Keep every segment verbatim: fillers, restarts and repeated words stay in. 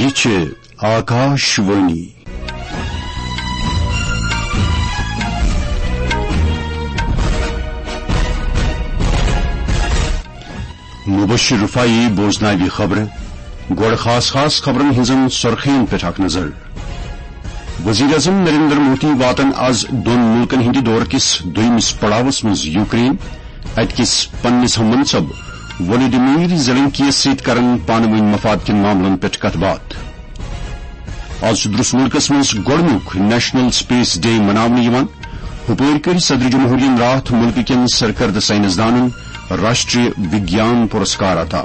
یہِ چھِ آکاش وانی۔ مبشر رفاعی بوزناوِ خبرٕ۔ گۄڈٕ خاص خاص خبرن ہٕنٛزن سرخین پٮ۪ٹھ اکھ نظر۔ وزیر اعظم نریندر مودی واتن از دۄن مُلکن ہٕنٛدِ دورٕ کِس دوٚیمِس پڑاوس منٛز یوکرین۔ اتہِ کِس پننِس ہم منصب ولودیمیر زیلنسکی یس سۭتۍ کرن پانہٕ وٲنۍ مفاد کٮ۪ن معاملن پٮ۪ٹھ کتھ باتھ۔ از چھُ درس مُلکس منٛز گۄڈٕنیُک نیشنل سپیس ڈے مناونہٕ یِوان۔ ہُپٲرۍ کٔرۍ صدر جمہوریہن راتھ مُلکہٕ کٮ۪ن سرکردٕ ساینس دانن راشٹریہ وگیان پُرسکار عطا۔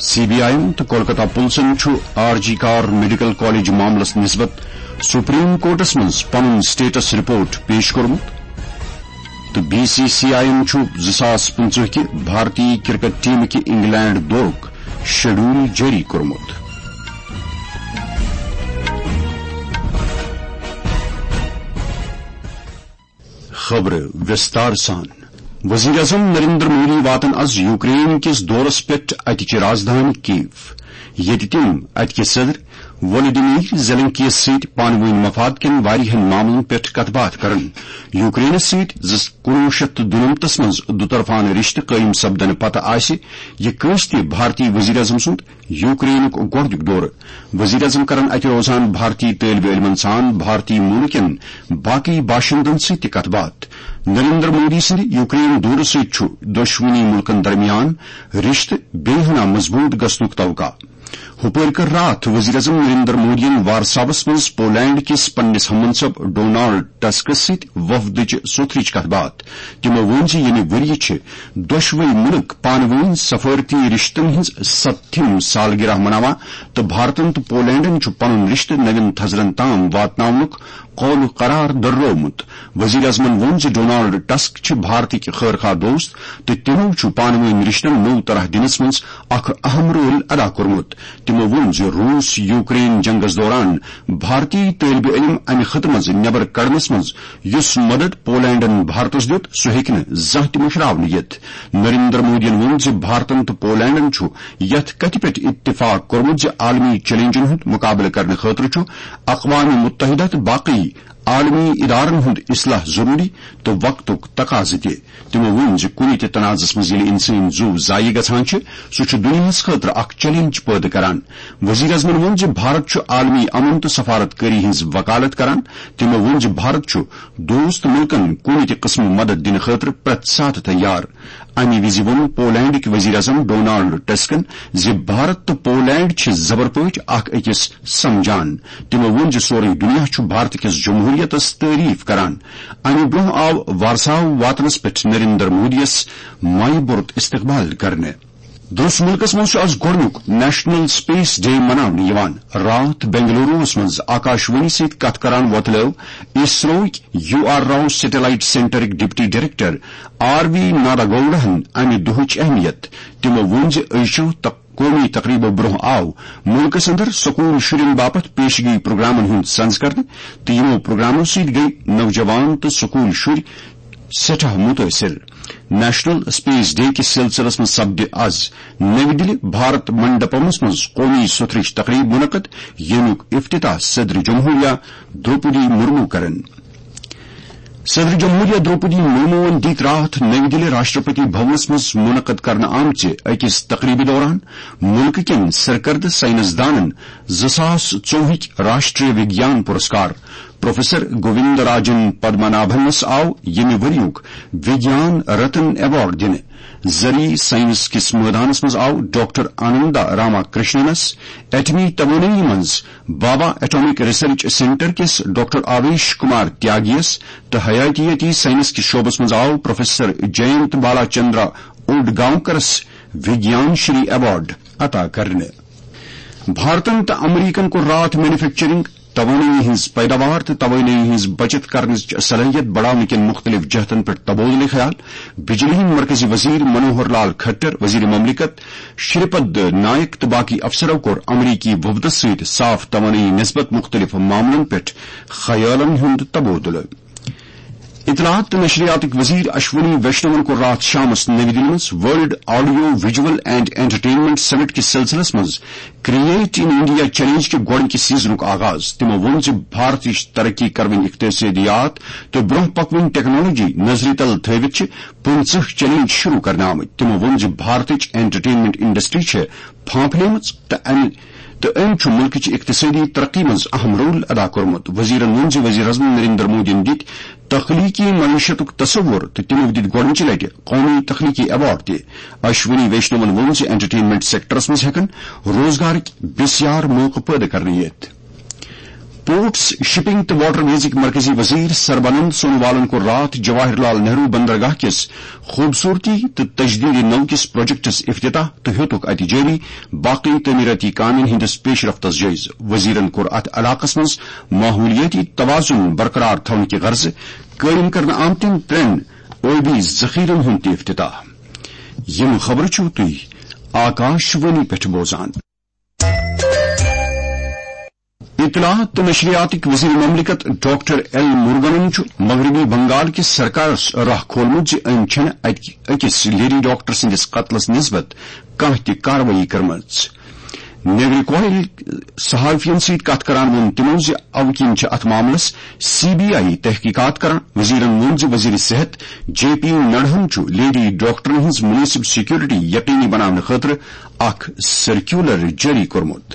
سی بی آئی تہٕ کولکتہ پُلسن چھُ آر جی کار میڈیکل کالج معاملس نسبت سپریم کورٹس منٛز پنُن سٹیٹس رپورٹ پیش کوٚرمُت۔ تہٕ بی سی سی آئی یَن چھُ زٕ ساس پٕنٛژٕہ کہِ بھارتی کرکٹ ٹیمہٕ کہِ انگلینڈ دورُک شیڈول جٲری کوٚرمُت۔ خبرٕ وِستار سان۔ وزیر اعظم نریندر مودی واتن از یوکرین کِس دورس پٮ۪ٹھ اتہِ چہِ رازدھانی کیو، ییٚتہِ تِم اتہِ کہِ صدر ولادیمیر زیلنسکی یس سۭتۍ پانہٕ وٲنۍ مفاد کٮ۪ن واریاہن معاملن پٮ۪ٹھ کتھ باتھ کرن۔ یوکرینس سۭتۍ زٕ، کُنوُہ شیٚتھ تہٕ دُنمتس منٛز دُطرفانہٕ رشتہٕ قٲیِم سپدنہٕ پتہٕ آسہِ یہِ کٲنٛسہِ تہِ بھارتی وزیر اعظم سُنٛد یوکرینُک گۄڈٕنیُک دورٕ۔ وزیر اعظم کرن اتہِ روزان بھارتی طٲلبہِ علمن سان بھارتی موٗلہٕ کٮ۪ن باقٕے باشندن سۭتۍ تہِ کتھ باتھ۔ نریندر مودی سٕنٛدِ یوکرین دورٕ سۭتۍ چھُ دۄشوٕنی مُلکن درمیان رشتہٕ بیٚیہِ ہنا مضبوٗط گژھنُک توقع۔ ہُپٲرۍ کٔر راتھ وزیر اعظم نریندر مودیَن وارساوس منٛز پولینڈ کِس پننِس ہم منصب ڈونالڈ ٹسکس سۭتۍ وفدٕچ سوٚتھرٕچ کتھ باتھ۔ تِمو ووٚن زِ ییٚمہِ ؤرۍ یہِ چھِ دۄشوے مُلک پانہٕ وٲنۍ سفارتی رشتن ہٕنٛز ستتھِم سالگرہ مناوان تہٕ بھارتن تہٕ پولینڈن چھُ پنُن رشتہٕ نوٮ۪ن تھزرن تام واتناونُک قول قرار دۄہرومُت۔ وزیر اعظمن ووٚن زِ ڈونالڈ ٹسک چھِ بھارتٕکۍ خٲر خواہ دوست تہٕ تِمو چھُ پانہٕ وٲنۍ رشتن نوٚو طرح دِنس منٛز اکھ اہم رول ادا کوٚرمُت۔ تِمو ووٚن زِ روٗس یوکرین جنگس دوران بھارتی طٲلبہِ علم امہِ خطہٕ منٛز نٮ۪بر کڑنس منٛز یُس مدد پولینڈن بھارتس دیُت، سُہ ہیٚکہِ نہٕ زانٛہہ تہِ مٔشراونہٕ یِتھ۔ نریندر مودیَن ووٚن زِ بھارتن تہٕ پولینڈن چھُ یتھ کتھِ پٮ۪ٹھ اتفاق کوٚرمُت زِ عالمی چیلنجن ہُنٛد مقابلہٕ کرنہٕ خٲطرٕ چھُ اقوام متحدہ تہٕ باقٕے عالمی ادارن ہُنٛد اصلاح ضروٗری تہٕ وقتُک تقاضہٕ تہِ۔ تِمو ووٚن زِ کُنہِ تہِ تنازعس منٛز ییٚلہِ انسٲنی زُو ضایع گژھان چھِ، سُہ چھُ دُنیاہَس خٲطرٕ اکھ چیلنج پٲدٕ کران۔ وزیر اعظمن ووٚن زِ بھارت چھُ عالمی امن تہٕ سفارت کٲری ہٕنٛز وکالت کران۔ تِمو ووٚن زِ بھارت چھُ دوست مُلکن کُنہِ تہِ قٕسمہٕ مدد دِنہٕ خٲطرٕ پرٛٮ۪تھ ساتہٕ تیار۔ اَمہِ وِزِ ووٚن پولینڈٕکۍ وزیر اعظم ڈونالڈ ٹسکن زِ بھارت تہٕ پولینڈ چھِ زبر پٲٹھۍ اکھ أکِس سمجھان۔ تِمو ووٚن زِ سورُے دُنیا چھُ بھارت کِس جمہوریتس تعریف کران۔ اَمہِ برٛونٛہہ آو وارساو واتنس پٮ۪ٹھ نریندر مودیَس مایہِ بوٚرُت استقبال کرنہٕ۔ درٛس مُلکس منٛز چھُ از گۄڈٕنیُک نیشنل سپیس ڈے مناونہٕ یِوان۔ راتھ بنگلوروَس منٛز آکاشوانی سۭتۍ کتھ کران وۄتلٲو اسروٕکۍ یو آر راؤ سیٹلائٹ سینٹرٕکۍ deputy director R V Nada گوڈاہن امہِ دۄہٕچ اہمیت۔ تِمو ووٚن زِ أزچو تق-، قومی تقریبو برٛونٛہہ آو مُلکس اندر سکوٗل شُرٮ۪ن باپتھ پیشگی پروگرامن ہُنٛد سنز کرنہٕ تہٕ یِمو پروگرامو سۭتۍ گٔیہِ نوجوان تہٕ سکوٗل شُرۍ سٮ۪ٹھاہ مُتٲثِر۔ نیشنل سپیس ڈے کِس سلسلس منٛز سپدِ از نَوِ دِلہِ بھارت منڈپمس منٛز قومی سوٚتھرٕچ تقریب منعقد، ییٚمیُک افتتاح صدر جمہوریہ دروپدی مرمو کرن۔ صدر جمہوریہ دروپدی مرموہن دِتۍ راتھ نَوِ دِلہِ راشٹرپتی بھونس منٛز منعقد کرنہٕ آمژِ أکِس تقریبہِ دوران مُلکہٕ کٮ۪ن سرکردٕ ساینس دانن زٕ ساس ژوٚوُہٕکۍ راشٹریہ وگیان پُرسکار۔ پروفیسر گووند راجن پدمنابھنس آو ییٚمہِ ؤریُک وگیان رتن ایوارڈ دِنہٕ۔ زرعی ساینس کِس مٲدانس منٛز آو ڈاکٹر آنندا راما کرشننس، ایٹمی توانٲیی منٛز بابا ایٹامک ریسرچ سینٹر کِس ڈاکٹر آویش کمار تیاگیس تہٕ حیاتیاتی ساینس کِس شعبس منٛز آو پروفیسر جینت بالا چندرا اوڈگاونکرس وگیان شری ایوارڈ عطا کرنہٕ۔ بھارتن تہٕ امریکن کوٚر راتھ مینوفیکچرنگ، توانٲیی ہٕنٛز پیداوار تہٕ توانٲیی ہٕنٛز بچت کرنٕچ صلٲحیت بڑاونہٕ کٮ۪ن مُختٔلِف جہتن پٮ۪ٹھ تبادلہٕ خیال۔ بجلی ہٕنٛدۍ مرکزی وزیر منوہر لال کھٹر، وزیر مملکت شری پد نائک تہٕ باقی افسرو کوٚر امریکی وفدس سۭتۍ صاف توانٲیی نسبت مُختٔلِف معاملن پٮ۪ٹھ خیالن ہُنٛد تبادلہٕ۔ اطلاعات تہٕ نشریاتٕکۍ وزیر اشونی ویشنون کوٚر راتھ شامس نٔوۍ دِلہِ منٛز world audio visual and entertainment summit کِس سلسلس منٛز کریٹ ان انڈیا چیلنج کہِ گۄڈٕنکہِ سیزنُک آغاز۔ تِمو ووٚن زِ بھارتٕچ ترقی کروٕنۍ اقتصٲدیات تہٕ برونٛہہ پکوٕنۍ ٹیکنالوجی نظرِ تل تھٲوِتھ چھِ پٕنٛژٕہ چیلنج شروع کرنہٕ آمٕتۍ۔ تِمو ووٚن زِ بھارتٕچ انٹرٹینمنٹ انڈسٹری چھِ پھانپھلیمٕژ تہٕ امہِ تہٕ أمۍ چھُ مُلکٕچ اقتصٲدی ترقی منٛز اہم رول ادا کوٚرمُت۔ وزیرن ووٚن زِ وزیر اعظم نریندر مودیَن دِتۍ تخلیقی معیشتُک تصور تہٕ تِمو دِتۍ گۄڈٕنچہِ لٹہِ قومی تخلیقی ایوارڈ تہِ۔ اشونی ویشنون ووٚن زِ انٹرٹینمنٹ سیکٹرس منٛز ہٮ۪کن روزگارٕکۍ بسیار موقعہٕ پٲدٕ کرنہٕ یِتھ۔ پورٹس، شپنگ تہٕ واٹر ویزٕکۍ مرکزی وزیر سربانند سونوالن کوٚر راتھ جواہر لال نہرو بندرگاہ کِس خوبصورتی تہٕ تجدید نو کِس پروجیکٹس افتتاح تہٕ ہیوٚتُکھ اتہِ جٲری باقی تعمیراتی کامٮ۪ن ہٕنٛدِس پیش رفتس جٲیزٕ۔ وزیرن کوٚر اتھ علاقس منٛز ماحولیٲتی توازن برقرار تھاونہٕ کہِ غرضہٕ قٲیِم کرنہٕ آمتٮ۪ن ترٛٮ۪ن ٲبی ذخیرن ہُنٛد تہِ افتتاح۔ یِم خبرٕ چھِو تُہۍ آکاش وانی پٮ۪ٹھ بوزان۔ اطلاعات تہٕ نشریاتٕکۍ وزیر مملکت ڈاکٹر ایل مرگنن چھُ مغربی بنگال کِس سرکارس راہ کھولمُت زِ أمۍ چھَنہٕ اَکہِ، أکِس لیڈی ڈاکٹر سٕنٛدِس قتلس نسبت کانٛہہ تہِ کاروٲیی کٔرمٕژ۔ نیگریکوہل صحافین سۭتۍ کتھ کران ووٚن تِمو زِ اوٕ کِنۍ چھِ اتھ معاملس سی بی آئی تحقیقات کران۔ وزیرن ووٚن زِ وزیر صحت جے پی نڈہن چھُ لیڈی ڈاکٹرن ہٕنٛز مناسب سیکورٹی یقینی بناونہٕ خٲطرٕ اکھ سرکیولر جٲری کوٚرمُت۔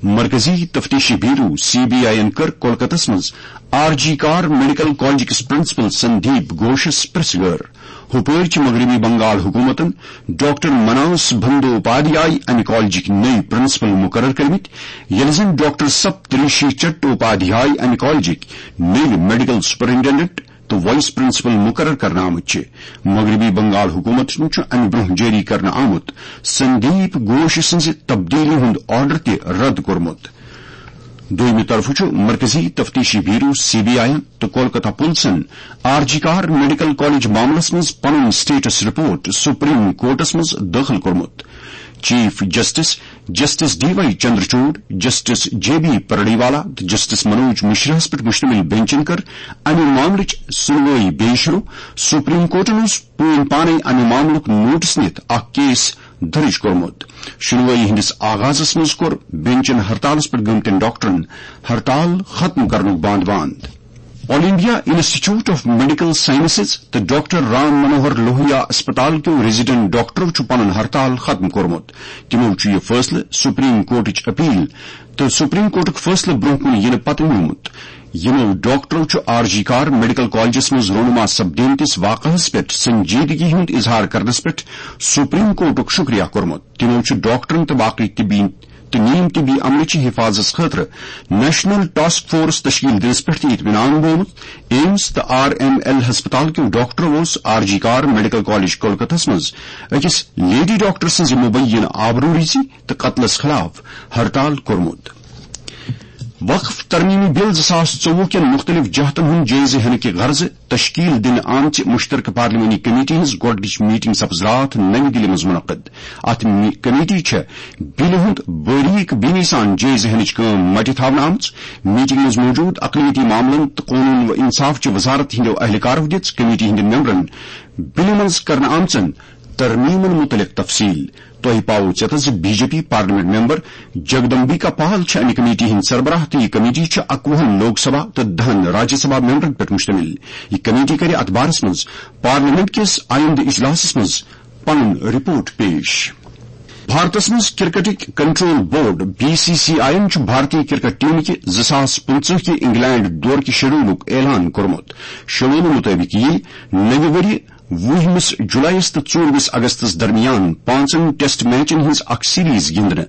مرکزی تفتیشی بیورو سی بی آئی یَن کٔر کولکتس منٛز آر جی کار میڈیکل کالج کِس پرنسپل سندیپ گھوشس پریس گٲر۔ ہُپٲرۍ چھِ مغربی بنگال حکوٗمتن ڈاکٹر مناس بندوپادھیائے امہِ کالجٕکۍ نٔوۍ پرنسپل مُقرر کٔرمٕتۍ، ییٚلہِ زن ڈاکٹر سپتریشی چٹوپادھیائے امہِ کالجٕکۍ نٔوۍ میڈیکل سپرنٹنڈنٹ تہٕ وائس پرنسپل مُقرر کرنہٕ آمٕتۍ چھِ۔ مغربی بنگال حکوٗمتن چھُ امہِ برٛونٛہہ جٲری کرنہٕ آمُت سندیپ گھوش سٕنٛزِ تبدیٖلی ہُنٛد آرڈر تہِ رد کوٚرمُت۔ دوٚیمہِ طرفہٕ چھُ مرکزی تفتیشی بیورو سی بی آئی تہٕ کولکتہ پُلسن آر جی کار میڈیکل کالج معاملس منٛز پنُن سٹیٹس رپورٹ سپریم کورٹس منٛز دٲخل کوٚرمُت۔ Chief justice, justice D Y Chandrachud, justice J B Pardiwala تہٕ جسٹس منوج مشرہس پٮ۪ٹھ مشتمل بینچن کٔر امہِ معاملٕچ سُنوٲیی بیٚیہِ شروع۔ سپریم کورٹن اوس پٲنۍ پانے امہِ معاملُک نوٹس نِتھ اکھ کیس درج کوٚرمُت۔ شُنوٲیی ہٕنٛدِس آغازس منٛز کوٚر بینچن ہڑتالس پٮ۪ٹھ گٔمتٮ۪ن ڈاکٹرن ہڑتال ختم کرنُک باند باند۔ All India institute of medical sciences تہٕ ڈاکٹر رام منوہر لوہیا اسپتال کیو ریزیڈنٹ ڈاکٹرو چھُ پنُن ہڑتال ختم کوٚرمُت۔ تِمو چھُ یہِ فٲصلہٕ سپریم کورٹٕچ اپیل تہٕ سپریم کورٹُک فٲصلہٕ برٛونٛہہ کُن یِنہٕ پتہٕ نیومُت۔ یِمو ڈاکٹرو چھُ آر جی کار میڈیکل کالجس منٛز رونما سپدیمتِس واقعس پٮ۪ٹھ سنجیدگی ہُنٛد اظہار کرنس پٮ۪ٹھ سپریم کورٹُک شکریہ کوٚرمُت۔ تِمو چھُ ڈاکٹرن تہٕ باقی طبی تہٕ نیم طبی عملہٕ چہِ حفاظتس خٲطرٕ نیشنل ٹاسک فورس تشکیل دِنس پٮ۪ٹھ تہِ اطمینان بومُت۔ ایمز تہٕ آر ایم ایل ہسپتال کیو ڈاکٹرو اوس آر جی کار میڈیکل کالج کولکتہس منٛز أکِس لیڈی ڈاکٹر سٕنٛزِ مبینہ آبروریزی تہٕ قتلس خلاف ہڑتال کوٚرمُت۔ وقف ترمیمی بل زٕ ساس ژوٚوُہ کٮ۪ن مُختٔلِف جہتن ہُنٛد جٲیزٕ ہینہٕ کہِ غرضہٕ تشکیل دِنہٕ آمژِ مشترکہ پارلیمانی کمیٹی ہٕنٛز گۄڈٕنِچ میٹنگ سپٕز راتھ نَوِ دِلہِ منٛز منعقد۔ اتھ می-، کمیٹی چھےٚ بلہِ ہُنٛد باریک بینی سان جٲیزٕ ہینٕچ کٲم مٹہِ تھاونہٕ آمٕژ۔ میٹنگ منٛز موجود اقلیتی معاملن تہٕ قونون و انصاف چہِ وزارت ہٕنٛدیو اہلکارو دِژ کمیٹی ہٕنٛدٮ۪ن ممبرن بلہِ منٛز کرنہٕ آمژن ترمیمن مُتعلق تفصیل۔ تۄہہِ پاوو ژیتس زِ B J P parliament member Jagdambika Pal چھِ امہِ کمیٹی ہٕنٛدۍ سربراہ تہٕ یہِ کمیٹی چھِ اکوُہن لوک سبھا تہٕ دہن راجیہ سبھا ممبرن پٮ۪ٹھ مشتمل۔ یہِ کمیٹی کرِ اتھ بارس منٛز پارلیمنٹ کِس آیندٕ اجلاسس منٛز پنُن رپورٹ پیش۔ بھارتس منٛز کرکٹٕکۍ control board B C C I یَن چھُ بھارتی کرکٹ ٹیمہِ کہِ زٕ ساس پٕنٛژٕہ کہِ انگلینڈ دورٕ کہِ شیڈولُک اعلان کوٚرمُت۔ شیڈول مُطٲبِق یِیہِ نَوِ ؤرۍ وُہمِس جولائیس تہٕ ژوٗرمِس اگستس درمیان پانٛژن ٹیسٹ میچن ہٕنٛز اکھ سیریز گِنٛدنہٕ۔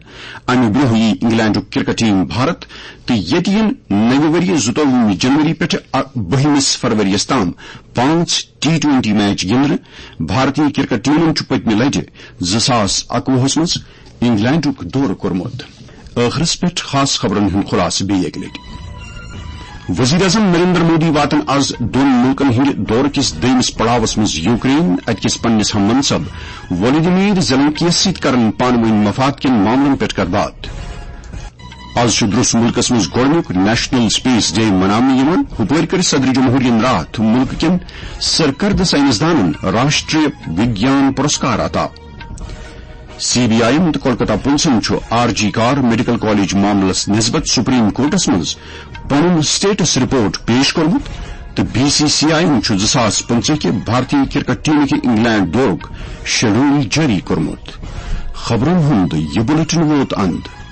امہِ برٛونٛہہ یِیہِ انگلینڈُک کرکٹ ٹیم بھارت تہٕ ییٚتہِ یِن نَوِ ؤرۍ زٕتووُہمہِ جنوری پٮ۪ٹھٕ اَ-، بٔہمِس فروریَس تام پانٛژھ ٹی ٹوئنٹی میچ گِنٛدنہٕ۔ بھارتی کرکٹ ٹیمن چھُ پٔتمہِ لٹہِ زٕ ساس اکوُہس منٛز انگلینڈُک دورٕ کوٚرمُت۔ ٲخرس پٮ۪ٹھ خاص خبرن ہُنٛد خلاصہٕ بیٚیہِ اکہِ لٹہِ۔ وزیر اعظم نریندر مودی واتن از دۄن ملکن ہٕنٛدِ دورٕ کِس دوٚیمِس پڑاوس منٛز یوکرین۔ اتہِ کِس پننِس ہم منصب ولادیمیر زیلنسکیَس سۭتۍ کرن پانہٕ وٲنۍ مفاد کٮ۪ن معاملن پٮ۪ٹھ کتھ باتھ۔ از چھُ درس ملکس منٛز گۄڈٕنیُک نیشنل سپیس ڈے مناونہٕ یِوان۔ ہُپٲرۍ کٔرۍ صدر جمہوریہن راتھ ملکہٕ کٮ۪ن سرکردٕ ساینسدانن راشٹریہ وگیان پرسکار عطا۔ سی بی آئی تہٕ کولکتہ پُلسن چھُ آر جی کار میڈیکل کالج معاملس نسبت سپریم کورٹس منٛز پنُن سٹیٹس رپورٹ پیش کوٚرمُت تہٕ بی سی سی آئی چھُ زٕ ساس پٕنٛژٕہ کہِ بھارتی کرکٹ ٹیمہِ کہِ انگلینڈ دورُک شیڈول جٲری کوٚرمُت۔ خبرن ہُنٛد یہِ بلیٹن ووت اند۔